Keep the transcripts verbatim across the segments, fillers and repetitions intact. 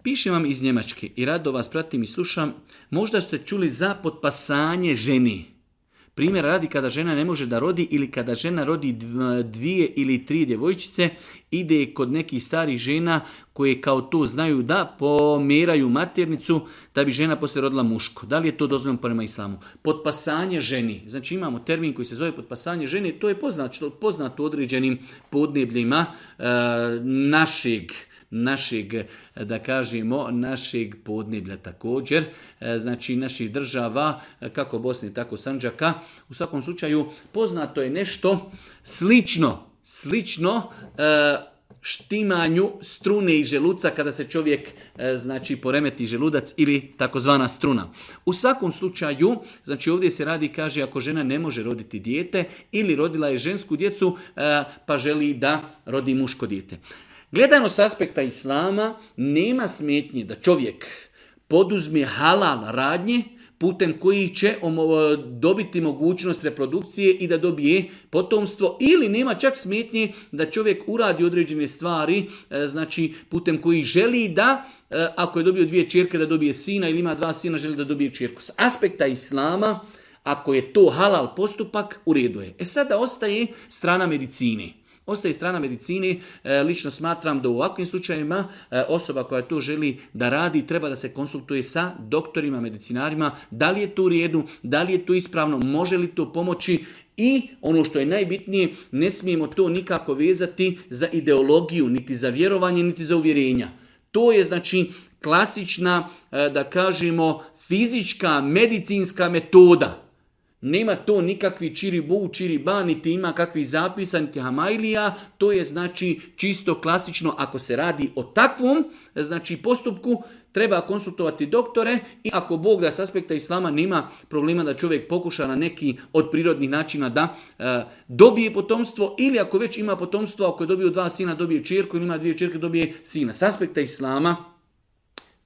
pišem vam iz Njemačke i rado vas pratim i slušam. Možda ste čuli za potpasanje ženi. Primjer radi kada žena ne može da rodi ili kada žena rodi dvije ili tri djevojčice, ide kod nekih starih žena koje kao to znaju da pomeraju maternicu da bi žena poslije rodila muško. Da li je to dozvoljeno prema islamu? Potpasanje ženi. Znači imamo termin koji se zove potpasanje ženi. To je poznato, poznato u određenim podnebljima e, našeg našeg, da kažemo, našeg podneblja također, znači naših država, kako Bosne, tako Sandžaka. U svakom slučaju, poznato je nešto slično, slično štimanju strune i želuca kada se čovjek, znači, poremeti želudac ili takozvana struna. U svakom slučaju, znači ovdje se radi, kaže, ako žena ne može roditi dijete ili rodila je žensku djecu, pa želi da rodi muško dijete. Gledano s aspekta islama, nema smetnje da čovjek poduzme halal radnje putem koji će dobiti mogućnost reprodukcije i da dobije potomstvo, ili nema čak smetnje da čovjek uradi određene stvari, znači putem koji želi da, ako je dobio dvije ćerke, da dobije sina, ili ima dva sina, želi da dobije ćerku. S aspekta islama, ako je to halal postupak, u redu je. E sada ostaje strana medicine. Ostaje strana medicine, lično smatram da u ovakvim slučajevima osoba koja to želi da radi treba da se konsultuje sa doktorima, medicinarima, da li je to u redu, da li je to ispravno, može li to pomoći i ono što je najbitnije, ne smijemo to nikako vezati za ideologiju, niti za vjerovanje, niti za uvjerenja. To je znači klasična, da kažemo, fizička, medicinska metoda. Nema to nikakvi čiribu, čiriba, niti ima kakvih zapisa, niti hamajlija. To je znači čisto klasično. Ako se radi o takvom znači postupku, treba konsultovati doktore i ako Bog da s aspekta islama nema problema da čovjek pokuša na neki od prirodnih načina da e, dobije potomstvo, ili ako već ima potomstvo, ako je dobio dva sina, dobije ćerku, ili ima dvije ćerke, dobije sina. S aspekta islama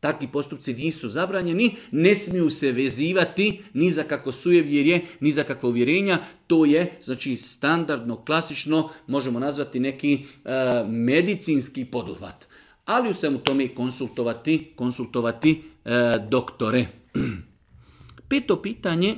takvi postupci nisu zabranjeni, ne smiju se vezivati ni za kako sujevjerje, ni za kakvo uvjerenja. To je znači standardno, klasično, možemo nazvati neki e, medicinski poduhvat. Ali u svemu tome konsultovati, konsultovati e, doktore. Peto pitanje.